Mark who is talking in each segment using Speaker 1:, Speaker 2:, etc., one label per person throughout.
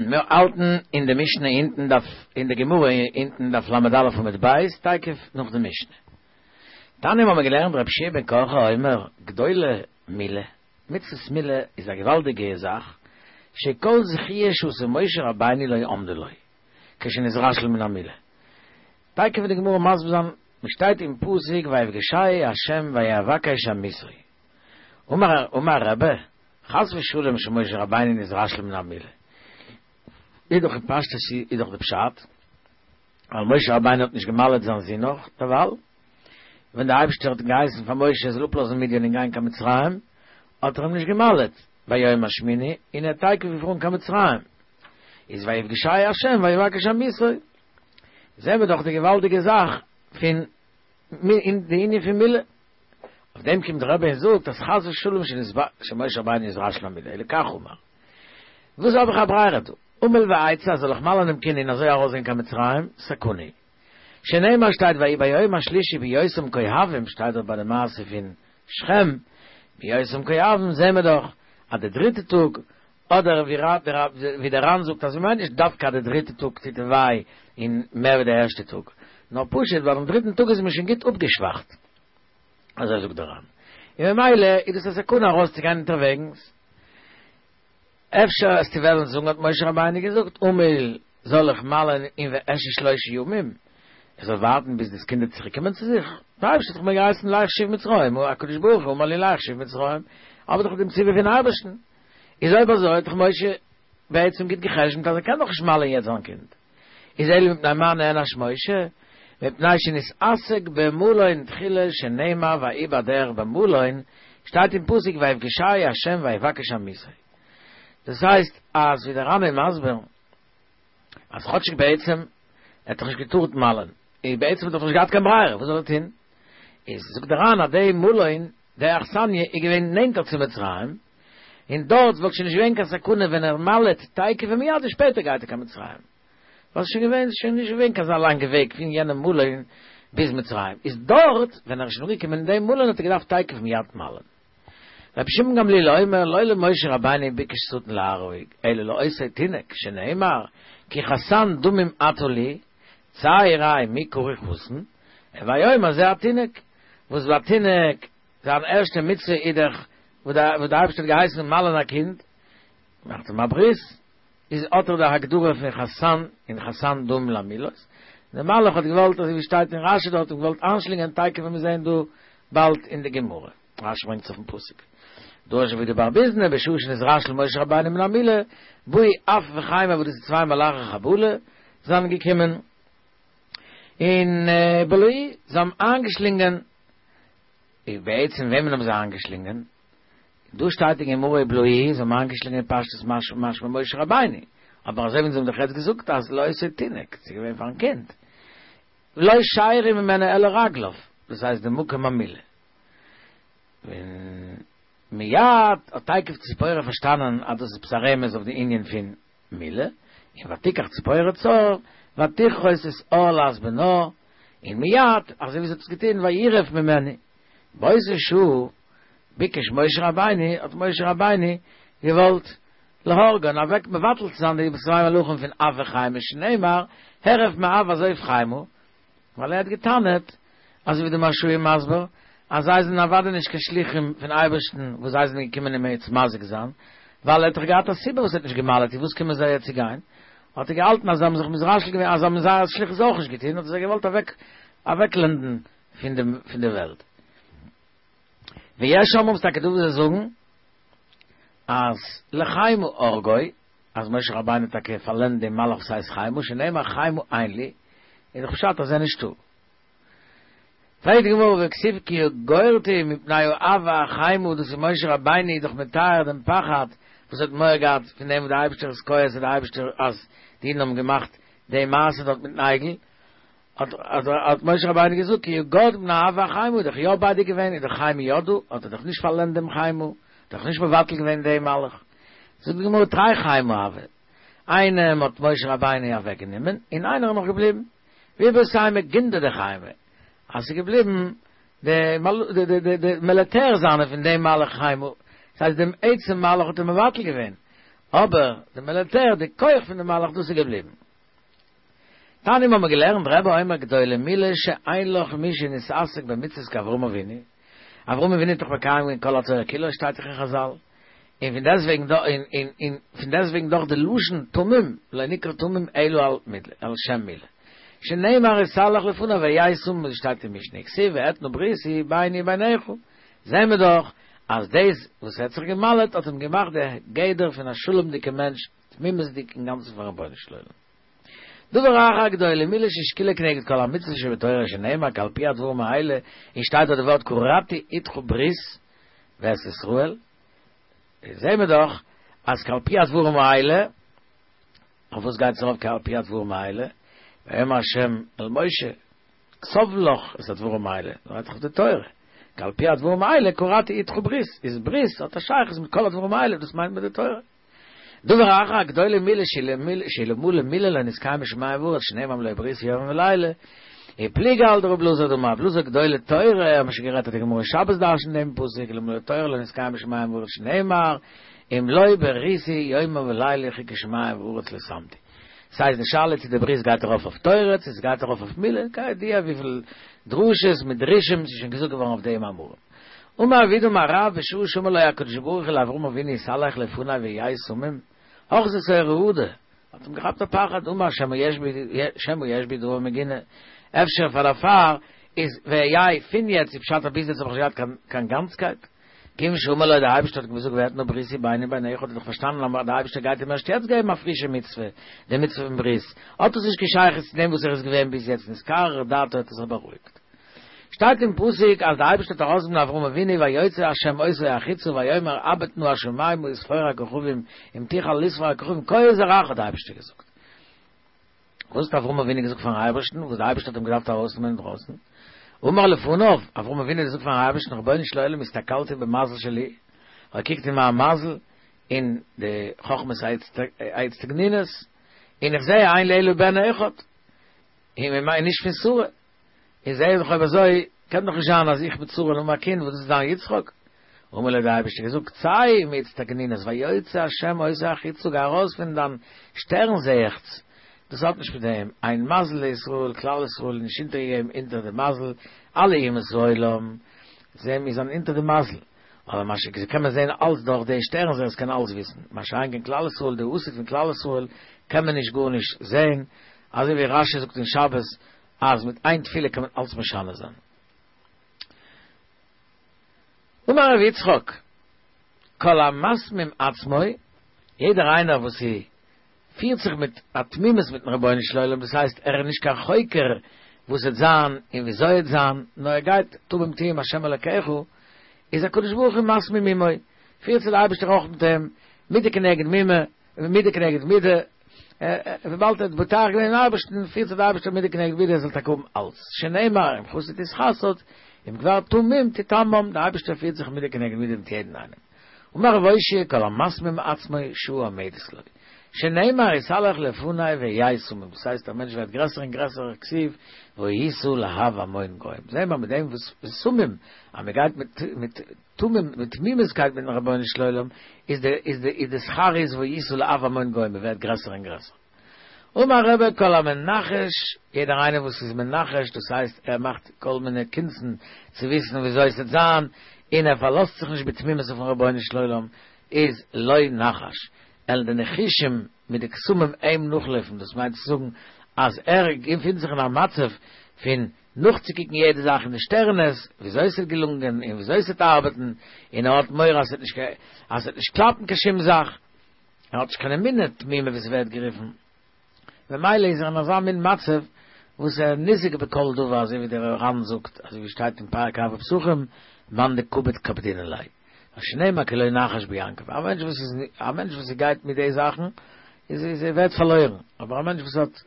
Speaker 1: מיר האלטן אין די משנה אונטן דף, אין די גמרא אונטן דף ל"א עמוד ב', תיכף נאך די משנה. תניא האבן מיר געלערנט רבי יהושע בן קרחה אומר, גדולה מילה, מצוות מילה איז א געוואלדיגע זאך, שכל זכיה שעשה משה רבינו לא עמדה לו, כשנתרשל מן המילה. תיכף וועט די גמרא מסביר זיין, ס'שטייט אין פסוק ויפגשהו ה' ויבקש אמיתו. אמר אמר רבי, חס ושלום שמשה רבינו נתרשל מן המילה. איז דאך אין פשטות איז דאך די פשט, ווייל משה רבינו האט נישט געמל'עט זיין זון נאך דערווייל, ווען די אייבערשטער האט געהייסן פאר משה ער זאל אפלאזן מדין און גיין קיין מצרים, האט ער אים נישט געמל'עט ביום השמיני, און ער האט תיכף געפארן קיין מצרים. איז ויפגשהו ה' ויבקש אמיתו. זעהן מיר דאך די געוואלדיגע זאך פון אין די ענין פון מילה. אויף דעם קומט דער רבי און זאגט אז חס ושלום שמשה רבינו נתרשל מן המילה, אלא כך אמר. וואס האב איך א ברירה דא? אמול ואצא אז זאל איך מל'ען דעם קינד און אזוי ארויסגיין קיין מצרים? סכנה. שנאמר שטייט ויהי ביום השלישי בהיותם כואבים שטייט דארט ביי די מעשה פון שכם בהיותם כואבים זעהן מיר דאך אז די דריטע טאג אדער ווי דער ר"ן זאגט אז מ'מיינט נישט דווקא אז די דריטע טאג טוט וויי און מער ווי די ערשטע טאג, נאר פשוט ווייל דעם דריטן טאג איז מען שוין גוט אפגעשוואכט, אזוי זאגט דער ר"ן, און ממילא איז דאס א סכנה ארויסצוגיין אונטערוועגנס. אפשר וועסטו וועלן זאגן האט משה רבינו געזאגט אמול זאל איך מל'ען און ואשהה שלשה ימים, איך זאל ווארטן ביז דאס קינד וועט צוריק קומען צו זיך, דער אייבערשטער האט דאך מיר געהייסן לך שוב מצרימה, הקדוש ברוך הוא אמר לי לך שוב מצרימה, האב איך דאך דעם ציווי פון אייבערשטן. איז אויב אזוי האט דאך משה בעצם גוט גע'חשבונ'ט אז ער קען דאך נישט מל'ען יעצט זיין קינד. איז אלא מפני מה נענש משה? מפני שנתעסק במלון תחילה שנאמר ויהי בדרך במלון, שטייט אין פסוק ויפגשהו ה' ויבקש אמיתו. דאס הייסט אז ווי דער ר"ן איז מסביר אז כאטשיג בעצם ער האט דאך נישט געטארט מל'ען, און בעצם האט ער דאך נישט געהאט קיין ברירה, וואס זאל ער טון? איז זאגט דער ר"ן אז די מלון, די אכסניא איז געווען נענטער צו מצרים, און דארט וואלט שוין נישט געווען קיין סכנה ווען ער מל'עט תיכף ומיד און שפעטער גייט ער קיין מצרים. ווייל ס'איז שוין געווען, ס'איז שוין נישט געווען קיין אזא לאנגע וועג פון יענעם מלון ביז מצרים. איז דארט, ווען ער איז שוין אנגעקומען אין דעם מלון האט ער געדארפט תיכף ומיד מל'ען. רבי שמעון גמליאל אומר, לא למשה רבינו ביקש שטן להרוג, אלא לאותו תינוק, שנאמר, כי חתן דמים אתה לי, צא וראה מי קרוי חתן, הוי אומר זה התינוק, וואס ביי תינוק זיין ערשטע מצוה איז דאך וואס דער אייבערשטער האט געהייסן מל'ען א קינד, מאכט אים א ברית, איז האט ער די הגדרה פון חתן און חתן דמים למילות, דער מלאך האט געוואלט אזוי ווי שטייט אין רשי דארט האט געוואלט איינשלינגען תיכף ווען מיר זעען דא באלד אין די גמרא, רשי ברענגט עס אויפן פסוק, דרש רב יהודה בר ביזנא בשעה שנתרשל משה רבינו מן המילה, באו עף וחימה וואס דאס איז צוויי מלאכי חבלה זענען געקומען און בלעוהו זיי האבן איינגעשלינגען איז בעצם וועמען האבן זיי איינגעשלינגען? דא שטייט אין גמרא ובלעוהו, זיי האבן איינגעשלינגען פשטות משמע משמע משה רבינו, אבער אזוי ווי אונז האבן דאך יעצט געזאגט אז לאותו תינוק, ס'איז געווען פארן קינד, לא שיירו ממנו אלא רגליו, דאס הייסט די מקום המילה. און מיד האט תיכף ציפורה פארשטאנען אז דאס איז עפעס א רמז אויף די ענין פון מילה, און ותיקח ציפורה צער, ותכרות את ערלת בנה, און מיד, אזוי ווי זי האט עס געטון, וירף ממנו. באותה שעה ביקש משה רבינו, האט משה רבינו געוואלט להורגן, אוועק מבטל צו זיין די צוויי מלאכים פון עף וחימה, שנאמר, הרף מאף ועזוב חימה, ווייל ער האט געטענה'ט, אזוי ווי די מהרש"א איז מסביר, אז זיי זענען אוודאי נישט קיין שליחים פון אייבערשטן וואס זיי זענען געקומען אים יעצט מזיק זיין, ווייל ער האט דאך געהאט א סיבה וואס ער האט נישט גע'מל'עט, און וואס קומען זיי יעצט צו גיין? האט ער געהאלטן אז זיי האבן זיך מתרשל געווען אז זיי האבן זייער שליחות אויך נישט געטון, האט ער זיי געוואלט אוועק אוועקלענדן פון דעם פון די וועלט. ויש אומרים ס'טאקע דא וואס זיי זאגן אז לחימה הרגו, אז משה רבינו האט טאקע פארלענדט דעם מלאך וואס הייסט חימה, שנאמר חימה אין לי, איז דאך פשט אז ער איז נישטא. פרעגט די גמרא והכתיב כי יגורתי מפני האף והחימה, דאס איז משה רבינו איז דאך מתאר דעם פחד וואס האט מורא געהאט פון דעם וואס דער אייבערשטער איז כועס און דער אייבערשטער אז די אידן האבן געמאכט די מעשה דארט מיטן עגל, האט האט משה רבינו געזאגט כי יגורתי מפני האף והחימה איז דאך יא ביי דיר געווען איז דאך חימה יא דא, האט ער דאך נישט פארלענדט דעם חימה, דאך נישט מבטל געווען דעם מלאך. זאגט די גמרא תרי חימה הוו, איינעם האט משה רבינו אוועק גענומען און איינער איז נאך געבליבן, ואיבעית אימא גונדא דחימה, אז ס'איז געבליבן די די מיליטער זיינע פון דעם מלאך חימה, דאס הייסט דעם עצם מלאך האט ער מבטל געווען, אבער די מיליטער, די כח פון די מלאך דאס איז געבליבן. תניא האבן מיר געלערנט רבי אומר גדולה מילה שאין לך מי שנתעסק במצוות כאברהם אבינו, אברהם אבינו האט דאך מקיים געווען כל התורה כולה שטייט דאך אין חזל, און פון דעסטוועגן דא און און און פון דעסטוועגן דאך די לשון תמים לא נקרא תמים אלא על מילה על שם מילה שנאמר התהלך לפני והיה תמים ווי שטייט אין משנה וכתיב ואתנה בריתי ביני וביניך זעהן מיר דאך אז דאס וואס ער האט זיך געמל'עט האט אים געמאכט די גדר פון א שלום'דיגע מענטש תמימות'דיג אינגאנצן פארן רבונו של עולם. דבר אחר גדולה מילה ששקולה כנגד כל המצוות שבתורה שנאמר כי על פי הדברים האלה און שטייט דארט די ווארט כרתי אתך ברית ואת ישראל זעהן מיר דאך אז כי על פי הדברים האלה אויף וואס גייט עס ארויף כי על פי הדברים האלה ויאמר השם אל משה כתוב לך את הדברים האלה רעדט דאך אויף די תורה כי על פי הדברים האלה כרתי אתך ברית איז ברית האט א שייכות מיט כל הדברים האלה דאס מיינט מען די תורה דבר אחר גדולה מילה שאלמלא מילה לא נתקיימו שמים וארץ שנאמר אם לא בריתי יומם ולילה ופליגא על דרבי אלעזר דאמר רבי אלעזר גדולה תורה האבן מיר שוין גערעדט אז די גמרא אין שבת דרש'נט דעם פסוק אלמלא תורה לא נתקיימו שמים וארץ שנאמר אם לא בריתי יומם ולילה חוקי שמים וארץ לא שמתי ס'הייסט די שאלה צו די ברית גייט ארויף אויף תורה צו ס'גייט ארויף אויף מילה כידוע וויפיל דרשות מיט דרושים ס'איז שוין געזאגט געווארן אויף דעם מאמרים. אמר רב יהודה אמר רב בשעה שאמר לו הקדוש ברוך הוא לאברהם אבינו התהלך לפני והיה תמים, אחזתו רעדה, האט אים געכאפט א פחד, אמר שמא יש בי שמא יש בי דבר מגונה, אפשר פאר דערפאר איז והיה פון יעצט איז פשט אז ביז יעצט האב איך נישט געהאט קיין גאנצקייט, כיוון שאמר לו דער אייבערשטער האט אים געזאגט ואתנה בריתי ביני וביניך האט ער דאך פארשטאנען אז דער אייבערשטער גייט אים ערשט יעצט געבן א פרישע מצוה, די מצוה פון ברית, האט עס נישט קיין שייכות צו דעם וואס ער איז געווען ביז יעצט נתקררה דעתו האט ער זיך בארואיגט. שטייט אין פסוק אז די אייבערשטער האט ארויסגענומען אברהם אבינו ויוצא ה' אותו החוצה ויאמר הבט נא השמימה וספור הכוכבים אם תוכל לספור הכוכבים כה יהיה זרעך האט די אייבערשטער געזאגט. וואס האט אברהם אבינו געזאגט פארן אייבערשטן וואס די אייבערשטער האט אים געדארפט ארויסנעמען אינדרויסן? אמר לפניו, אברהם אבינו האט געזאגט פארן אייבערשטן רבונו של עולם הסתכלתי במזל שלי, כ'האב געקוקט אין מיין מזל אין די חכמת האיצטגנינות און איך זעה אין לי אלא בן אחד, און ממילא נישט פון שרה. און זעה איך אויב אזוי קען דאך נישט זיין אז איך מיט שרה האבן א קינד וואס דאס איז זיין יצחק. אמר לו האט דער אייבערשטער געזאגט צא מאיצטגנינות ויוצא השם אותו החוצה גיי ארויס פון דיין שטערן זעעכץ, דאס האט נישט מיט דעם, אין מזל לישראל, כלל ישראל איז נישט אונטערגעגעבן אונטער די מזל, אלע אומות העולם זעהן מיר זענען אונטער די מזל, אבער מה ש קען מען זעהן אלץ דורך די שטערן זעערס קען אלץ וויסן, מה שאין כן כלל ישראל די עתיד פון כלל ישראל קען מען נישט גארנישט זעהן, אזוי ווי רשי זאגט אין שבת אז מיט איין תפילה קען מען אלץ משנה זיין. אמר רבי יצחק, כל המתמים עצמו, יעדער איינער וואס פירט זיך מיט א תמימות מיטן רבונו של עולם, דאס הייסט ער איז נישט קיין חוקר וואס וועט זיין און וויאזוי עט זיין, נאר ער גייט תמים תהיה עם השם אלקיך, איז הקדוש ברוך הוא מתמים עמו, פירט זיך דער אייבערשטער אויך מיט אים, מידה כנגד מימה, מידה כנגד מידה, וויבאלד ער האט בוטח געווען אין אייבערשטן, פירט זיך דער אייבערשטער מידה כנגד מידה ער זאל טאקע האבן אלץ, שנאמר אם חסיד תתחסד, אם גבר תמים תתמם, דער אייבערשטער פירט זיך מידה כנגד מידה מיט יעדן איינעם. אמר רב אושעיא כל המתמים עצמו שעה עומדת לו, שנאמר התהלך לפני והיה תמים, דאס הייסט א מענטש ווערט גרעסער און גרעסער כתיב והיית לאב המון גוים, זעהן מיר מיט דעם וואס תמים אז מען גייט מיט מיט תמים מיט תמימות'קייט מיטן רבונו של עולם איז די איז די איז די שכר איז והיית לאב המון גוים מען ווערט גרעסער און גרעסער. אמר רבי כל המנחש יעדער איינער וואס איז מנחש דאס הייסט ער מאכט כל מיני קונצן צו וויסן וויאזוי עס וועט זיין און ער פארלאזט זיך נישט בתמימות אויפן רבונו של עולם איז לא נחש וועלן די ניחושים מיט די קסמים אים נאכלויפן דאס מיינט צו זאגן אז ער געפינט זיך אין א מצב פון נאכצוקוקן יעדע זאך אין די שטערנעס, וויאזוי עס וועט געלונגען און וויאזוי עס וועט ארבעטן, און ער האט מורא אז עס וועט נישט קלאפן קיין שום זאך, ער האט נישט קיין אמונה תמימה ווי עס ווערט גערופן, ממילא איז ער אין אזא מין מצב וואס ער ניזוק בכל דבר, אזוי ווי דער ר"ן זאגט, אזוי ווי שטייט אין פרק ערבי פסחים, מאן דקביד קפדינן ליה, שנאמר כי לא נחש ביעקב, א מענטש וואס איז א מענטש וואס גייט מיט די זאכן, איז איז ער ווערט פארלוירן, אבער א מענטש וואס האט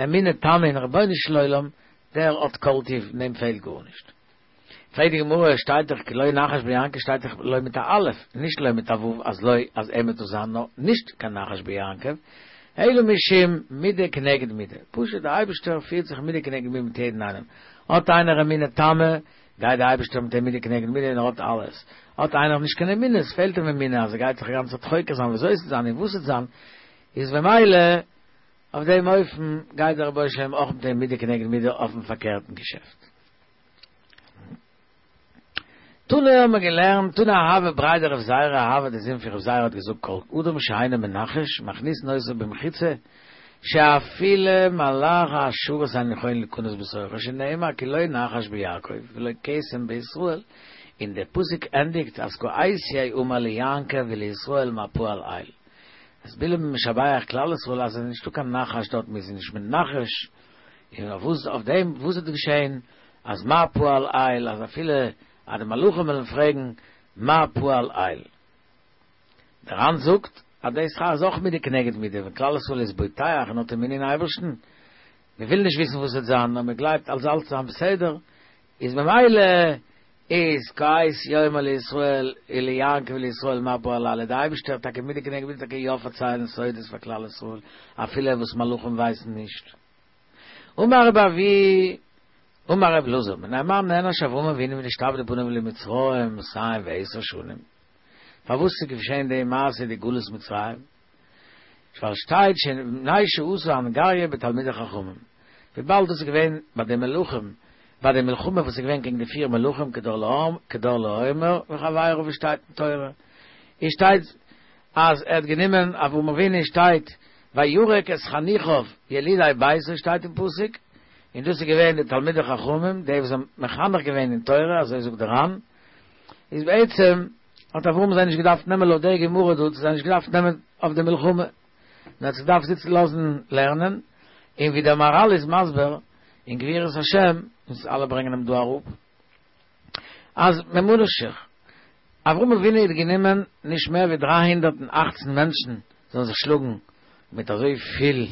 Speaker 1: אמונה תמה אין רבונו של עולם, דער האט כל טוב, און אים פעלט גארנישט. פרעגט די גמרא, שטייט דאך כי לא נחש ביעקב שטייט דאך לא מיט א אלף, נישט לא מיט א ו' אז לא אז אים וועט דאס זיין נאר נישט קיין נחש ביעקב, אלא משום מידה כנגד מידה, פשוט דער אייבערשטער פירט זיך מידה כנגד מידה מיט יעדן איינעם, האט איינער אמונה תמה, גייט דער אייבערשטער מיט אים מידה כנגד מידה און ער האט אלעס. האט איינער נישט קיין אמונה, עס פעלט אים אמונה אז ער גייט זיך א גאנצע צייט חוקר זיין וויאזוי עס וועט זיין און וואס עס וועט זיין, איז במילא אויף דעם אופן גייט דער רבונו של עולם אויך מיט אים מידה כנגד מידה אויפן פארקערטן געשעפט. תנא האבן מיר געלערנט, תנא אהבה בריה דרב זירא, אהבה די זון פון רב זירא האט געזאגט כל אדם שאינו מנחש מכניסין אותו במחיצה שאפילו מלאכי השרת אינן יכולין להיכנס בתוכו שנאמר כי לא נחש ביעקב ולא קסם בישראל און דער פסוק ענדיגט אז כעת יאמר ליעקב ולישראל מה פעל אל אז בלעם משבח כלל ישראל אז עס איז נישטא קיין נחש דארט מיר זענען נישט מנחש און אויף וואס אויף דעם וואס איז געשען אז מה פעל אל אז אפילו אז די מלאכים וועלן פרעגן מה פעל אל. דער ר"ן זאגט אז די שכר איז אויך מידה כנגד מידה, ווען כלל ישראל איז בוטח און האט אמונה אין אייבערשטן, מען וויל נישט וויסן וואס וועט זיין נאר מען גלייבט אז אלץ זיין בסדר, איז ממילא איז כעת יאמר לישראל וליעקב ולישראל מה פעל אל, דער אייבערשטער טאקע מידה כנגד מידה טאקע יא פארציילן סודות פאר כלל ישראל אפילו וואס מלאכים ווייסן נישט. אמר רבי אבהו אמר רבי אלעזר מפני מה נענש אברהם אבינו ונשתעבדו בניו למצרים מאתים ועשר שנים פארוואס איז געשען די מעשה די גלות מצרים ווייל שטייט מפני שעשה אנגריא בתלמידי חכמים וויבאלד דאס איז געווען ביי די מלכים ביי די מלחמה וואס איז געווען קעגן די פיר מלכים כדורלעומר וחביריו ווי שטייט אין תורה איז שטייט אז ער האט גענומען אברהם אבינו שטייט וירק את חניכיו ילידי ביתו שטייט אין פסוק, און דאס איז געווען די תלמידי חכמים די וואס האבן מחנך געווען אין תורה אזוי זאגט דער ר"ן, איז בעצם האט אברהם זיי נישט געדארפט נעמען לויט די גמרא דא האט ער זיי נישט געדארפט נעמען אויף די מלחמה, נאר האט זיי געדארפט זיצן לאזן לערנען, און ווי דער מהר"ל איז מסביר אין גבורות השם, און אלע ברענגען אים דא אראפ. אז ממה נפשך, אברהם אבינו האט גענומען נישט מער ווי 318 מענטשן זאלן זיך שלאגן מיט אזוי פיל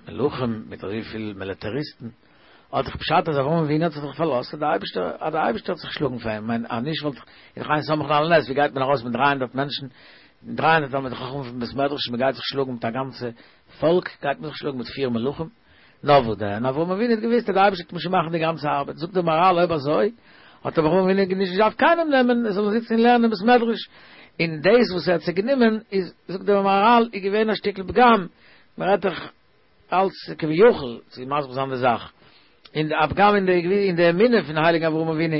Speaker 1: מלכים, מיט אזוי פיל מיליטעריסטן, האט דאך פשט אז אברהם אבינו האט זיך דאך פארלאזט אז דער אייבערשטער אז דער אייבערשטער וועט זיך שלאגן פאר אים, מיין אז נישט וואלט איז דאך אין סומכין על הנס, ווי גייט מען ארויס מיט 300 מענטשן, 300 תלמידי חכמים פון בית מדרש, מען גייט זיך שלאגן מיט א גאנצע פאלק, גייט מען זיך שלאגן מיט פיר מלכים? נאר וואס דען, אברהם אבינו האט געוואוסט אז דער אייבערשטער וועט שוין מאכן די גאנצע ארבעט, זאגט דער מהר"ל אויב אזוי האט אברהם אבינו נישט געדארפט קיינעם נעמען, ער זאל זיצן און לערנען אין בית מדרש, און דאס וואס ער האט זיי גענומען איז, זאגט דער מהר"ל, איז געווען א שטיקל פגם, מען רעדט דאך אלץ כביכול צו מסביר זיין די זאך, און א פגם אין די אין די אמונה פון הייליגן אברהם אבינו,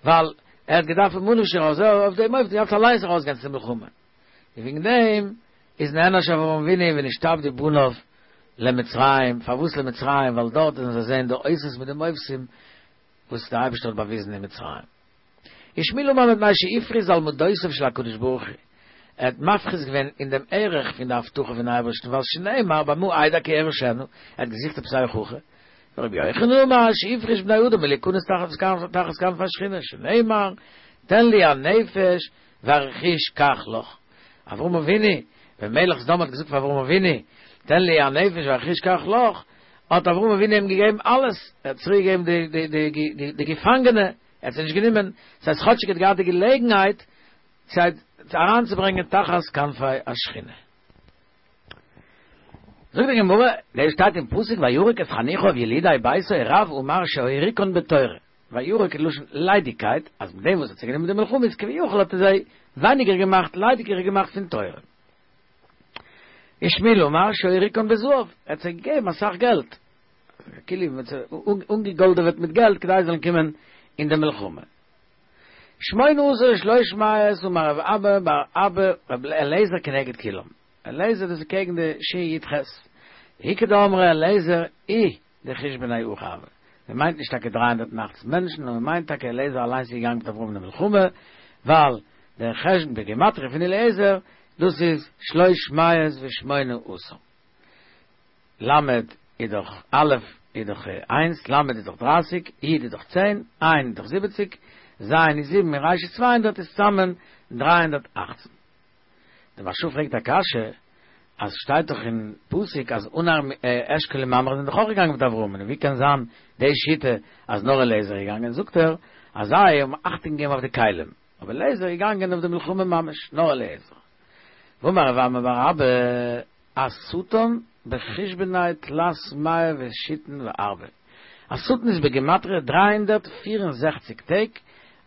Speaker 1: ווייל ער האט געדארפט ממה נפשך אזוי אויף דעם אופן געדארפט אליינס ארויסגיין צו די מלחמה, און וועגן דעם איז נענש אברהם אבינו ונשתעבדו בניו למצרים, פארוואס למצרים? ווייל דארט וועלן זיי זען די אותות מיט די מופתים וואס דער אייבערשטער האט באוויזן אין מצרים. ושמואל אמר מפני שהפריז על מדותיו של הקדוש ברוך הוא, ער האט מפריז געווען אין דעם ערך פון די הבטחה פון אייבערשטן, ווייל שנאמר במה אדע כי אירשנה, ער האט געזוכט עפעס א הוכחה, ורבי יוחנן אמר שהפריש בני אדם מלהיכנס תחת כנפי השכינה, שנאמר תן לי הנפש והרכוש קח לך. אברהם אבינו, ווען מלך סדום האט געזאגט פאר אברהם אבינו, תן לי הנפש והרכוש קח לך, האט אברהם אבינו אים געגעבן אלעס, ער האט צוריק געגעבן די די די די די געפאנגענע, ער האט זיי נישט גענומען, דאס הייסט כאטשיג ער האט געהאט די געלעגנהייט זיי אריינצוברענגען תחת כנפי השכינה. זאגט די גמרא, דאס שטייט אין פסוק וירק את חניכיו ילידי ביתו רב אמר שהוריקן בתורה. וירק איז לשון ליידיגקייט, אז מיט דעם וואס האט זיי גענומען די מלחמה איז כביכול האט ער זיי ווייניגער געמאכט, ליידיגער געמאכט פון תורה. ושמואל אמר שהוריקן בזהב, ער האט זיי געגעבן אסאך געלט, כאילו מען האט זיי אנגעגאלדעוועט מיט געלט כדי זיי זאלן קומען אין די מלחמה. שמונה עשר ושלוש מאות אמר רב אבא בר אבא רבי אליעזר כנגד כולם, אליעזר דאס איז קעגן די שין יוד חית, איכא דאמרי אליעזר איהו דחושבניה הכי הוה. מען מיינט נישט טאקע 318 מענטשן, נאר מען מיינט טאקע אליעזר אליינס איז געגאנגען מיט אברהם אין די מלחמה, ווייל דער חשבון בגימטריא פון אליעזר, דאס איז שלוש מאות ושמונה עשר. למד איז דאך א' איז דאך איינס, למד איז דאך דרייסיג, י' איז דאך צען, ע' איז דאך זיבעציג, ז' איז זיבן און ר' איז 200 איז צוזאמען 318. דער מהרש"א פרעגט א קשיא, אז שטייט דאך אין פסוק אז ענר אשכול און ממרא זענען דאך אויך געגאנגען מיט אברהמ'ן, און ווי קען זיין די שיטה אז נאר אליעזר איז געגאנגען, זאגט ער אז זיי האבן אכטונג געגעבן אויף די כלים, אבער אליעזר איז געגאנגען אויף די מלחמה ממש, נאר אליעזר. ואמר רב אמי בר אבא, השטן בחושבניה תלת מאה ושיתין וארבע, השטן איז בגימטריא 364 טעג.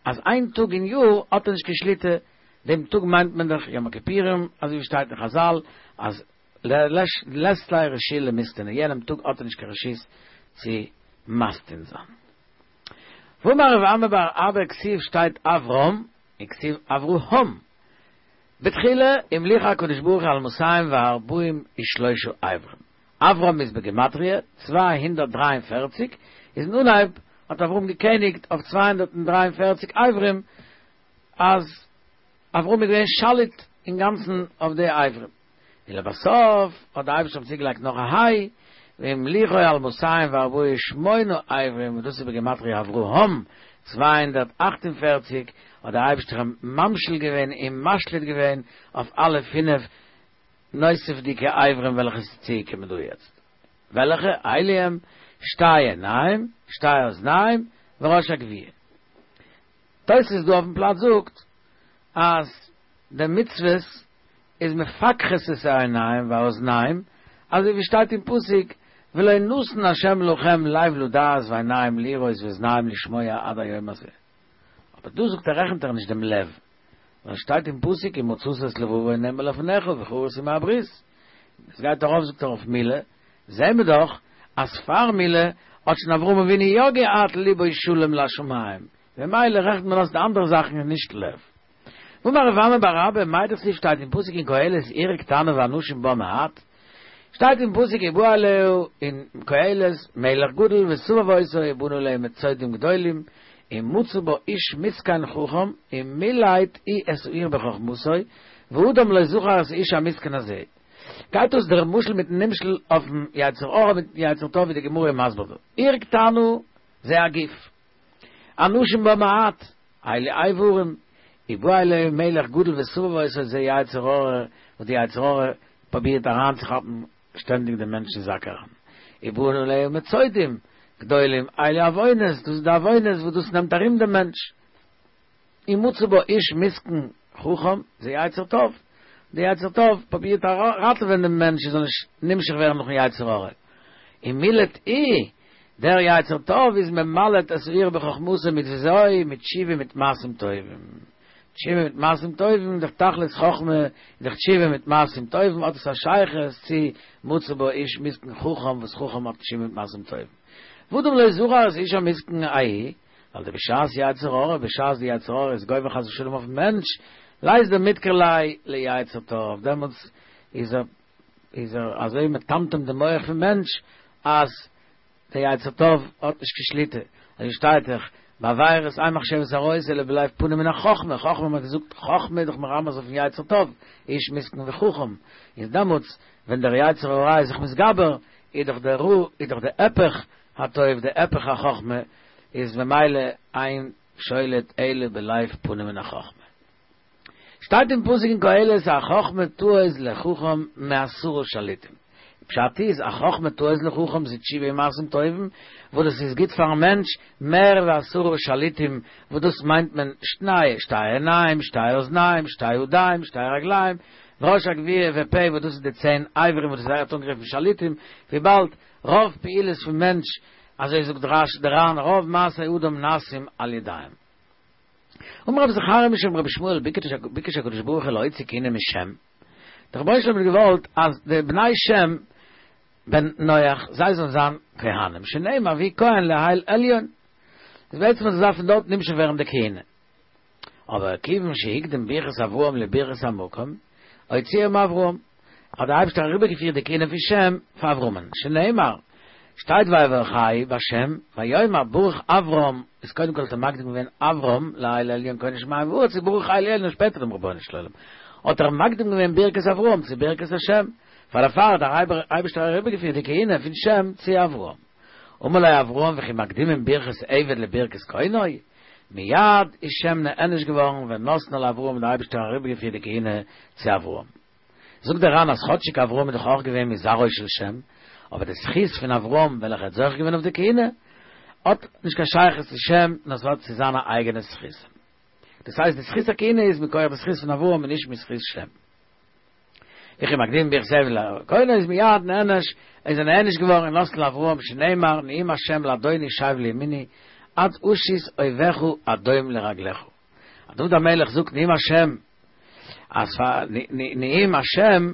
Speaker 1: אז איין טאג אין יאר האט ער נישט קיין שליטה, דעם טאג מיינט מען דאך יום הכיפורים, אזוי ווי שטייט אין חזל אז לית ליה רשות למיסתנא, יענעם טאג האט ער נישט קיין רשות צו מסטין זיין. ואמר רב אמי בר אבא כתיב שטייט אברם וכתיב אברהם בתחילה המליכו הקדוש ברוך הוא על מאתים וארבעים ושלושה אברים, אברם איז בגימטריא 243, איז אין אנהייב האט אברהם געקעניגט אויף 243 אברים, אז אברהם איז געווען שליט אינגאנצן אויף די אברים. ולבסוף האט די אייבערשטער אים צוגעלייגט נאך א היי, והמליכו על מאתים וארבעים ושמונה אברים, וואס דאס איז בגימטריא אברהם, 248, האט דער אייבערשטער אים ממשיל געווען און משליט געווען אויף אלע פינף נוספ'דיגע אברים וועלכע איז צוגעקומען דא יעצט. וועלכע? אלו הם, שתי עיניים, שתי אזניים, וראש הגויה. תוס' דא אויפן פלאץ זאגט אז די מצוות איז מפקחות את העיניים והאזניים, אזוי ווי שטייט אין פסוק ולא נתן ה' לכם לב לדעת ועיניים לראות ואזניים לשמוע עד היום הזה. אבער דא זאגט ער רעכנט ער נישט דעם לב, ווייל שטייט אין פסוק ומצאת את לבבו נאמן לפניך וכרת עמו הברית. עס גייט ארויף זאגט ער אויף מילה, זעהן מיר דאך אז פאר מילה האט שוין אברהם אבינו יא געהאט ליבו שלם לשמים, ממילא רעכנט מען אויס די אנדערע זאכן און נישט לב. ואמר רב אמי בר אבא, מאי דכתיב שטייט אין פסוק אין קהלת עיר קטנה ואנשים בה מעט, שטייט אין פסוק ובא עליה אין קהלת מלך גדול וסבב אותה ובנה עליה מצודים גדולים ומצא בה איש מסכן חכם ומילט הוא את העיר בחכמתו ואדם לא זכר את האיש המסכן הזה. גייט אויס דער משל מיטן נמשל אויפן יצר הרע מיטן יצר טוב ווי די גמרא איז מסביר דא. עיר קטנה זה הגוף. אנשים בה מעט, אלו איברים, ובא עליה מלך גדול וסבב אותה זה יצר הרע, וואס די יצר הרע פרובירט אריינצוכאפן שטענדיג דעם מענטש אין זאק אריין, ובנה עליה מצודים גדולים, אלו עוונות, דאס איז די עוונות וואס דאס נעמט ארום דעם מענטש. ומצא בה איש מסכן חכם, זה יצר טוב, די יצר טוב פרובירט ראטעווען דעם מענטש ער זאל נישט נמשך ווערן נאכן יצר הרע, ומילט הוא, דער יצר טוב איז ממלט את העיר בחכמתו מיט וויאזוי? מיט תשובה מיט מעשים טובים. תשובה מיט מעשים טובים, דער תכלית חכמה איז דאך תשובה מיט מעשים טובים, האט עס א שייכות צו מצא בה איש מסכן חכם וואס חכם האט תשובה מיט מעשים טובים. ואדם לא זכר את האיש המסכן ההוא, ווייל דבשעת יצר הרע, בשעת די יצר הרע איז גובר חס ושלום אויפן מענטש, לית דמדכר ליה ליצר טוב, דעמאלטס איז ער איז ער אזוי מטמטם די מח פון מענטש אז די יצר טוב האט נישט קיין שליטה, אזוי שטייט דאך בעבירות אין מחשבות הרעות אלא בלב פנוי מן החכמה, חכמה מ'האט געזאגט חכמה איז דאך מרמז אויפן יצר טוב, איש מסכן וחכם, איז דעמאלטס ווען דער יצר הרע איז זיך מתגבר איז דאך דער רע איז דאך די הפך הטוב די הפך החכמה איז ממילא אין שולט אלא בלב פנוי מן החכמה. שטייט אין פסוק אין קהלת החכמה תעוז לחכם מעשרה שליטים. פשט איז, החכמה תעוז לחכם זה תשובה ומעשים טובים, וואס דאס איז גוט פארן מענטש, מער ווי עשרה שליטים, וואס דאס מיינט מען שני, שתי עיניים, שתי אוזניים, שתי ידיים, שתי רגליים, ראש הגויה ופה, וואס דאס איז די צען אברים וואס דאס ווערט אנגערופן שליטים, וויבאלד רוב פעולות פון מענטש, אזוי זאגט רש י דער ר"ן, רוב מעשי אדם נעשים על ידיים. אמר רבי זכריה משום רבי ישמעאל ביקש הקדוש ברוך הוא להוציא כהונה משם, דער רבונו של עולם האט געוואלט אז די בני שם בן נח זיי זאלן זיין כהנים, שנאמר ויהי כהן לאל עליון, איז בעצם אז עס דארף פון דארט נמשך ווערן די כהונה, אבער כיוון שהקדים ברכת אברהם לברכת המקום, הוציאה מאברהם, האט דער אייבערשטער אריבערגעפירט די כהונה פון שם פאר אברהמ'ן, שנאמר, שטייט ויברכהו בהשם, ויאמר ברוך אברם, איז קודם כל האט ער מקדים געווען אברם לאל עליון קונה שמים וארץ איז ברוך אל עליון שפעטער דעם רבונו של עולם, האט ער מקדים געווען ברכת אברהם צו ברכת השם, פאר דערפאר האט דער אייבערשטער אריבערגעפירט די כהונה פון שם צו אברהם. אמר לו אברהם וכי מקדימין ברכת עבד לברכת קונו? מיד איז שם נענש געווארן ונתנה לאברהם און דער אייבערשטער אריבערגעפירט די כהונה צו אברהם. זאגט דער ר"ן אז כאטשיג אברהם איז דאך אויך געווען מזרעו של שם, אבער די זכות פון אברהם וועלכער האט זוכה געווען אויף די כהונה, האט נישט קיין שייכות צו שם, נאר ס'האט צו זיינע אייגענע זכותים. דאס הייסט די זכות הכהונה איז מכח די זכות פון אברהם און נישט מזכות שם. וכי מקדימין ברכת עבד לקונו איז מיד נענש, איז ער נענש געווארן ונתנה לאברהם שנאמר נאום השם לאדוני שב לימיני. עד אשית אויביך הדום לרגליך. אז דוד המלך זאגט נאום השם, אז פאר נאום השם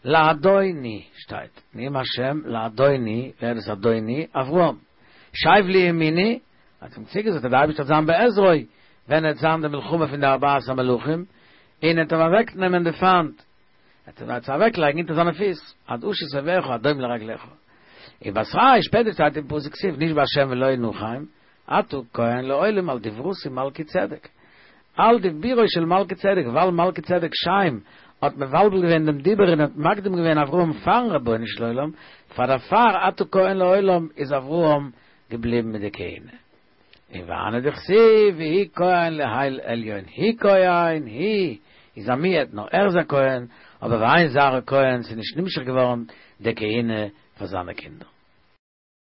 Speaker 1: לאדוני שטייט, נאום השם לאדוני, ווער איז אדוני? אברהם. שב לימיני, האט אים צוגעזאגט אז דער אייבערשטער וועט זיין בעזרו ווען עט זיין די מלחמה פון די ארבעת המלכים, און עט אים אוועקנעמען די פיינט. ער וועט זיי אוועקלייגן אונטער זיינע פיס, עד אשית אויביך הדום לרגליך. ובתריה שפעטער שטייט אין פסוק כתיב נשבע השם ולא ינחם, אתה כהן לעולם על דברתי מלכי צדק. על דיבורו של מלכי צדק, ווייל מלכי צדק שם האט מבלבל געווען דעם דיבור און האט מקדים געווען אברהם פארן רבונו של עולם, פאר דערפאר אתה כהן לעולם איז אברהם געבליבן מיט די כהונה. און והני דכתיב והוא כהן לאל עליון הוא כהן הוא איז א מיעוט נאר ער איז א כהן אבער ואין זרעו כהן ס'איז נישט נמשך געווארן די כהונה פאר זיינע קינדער.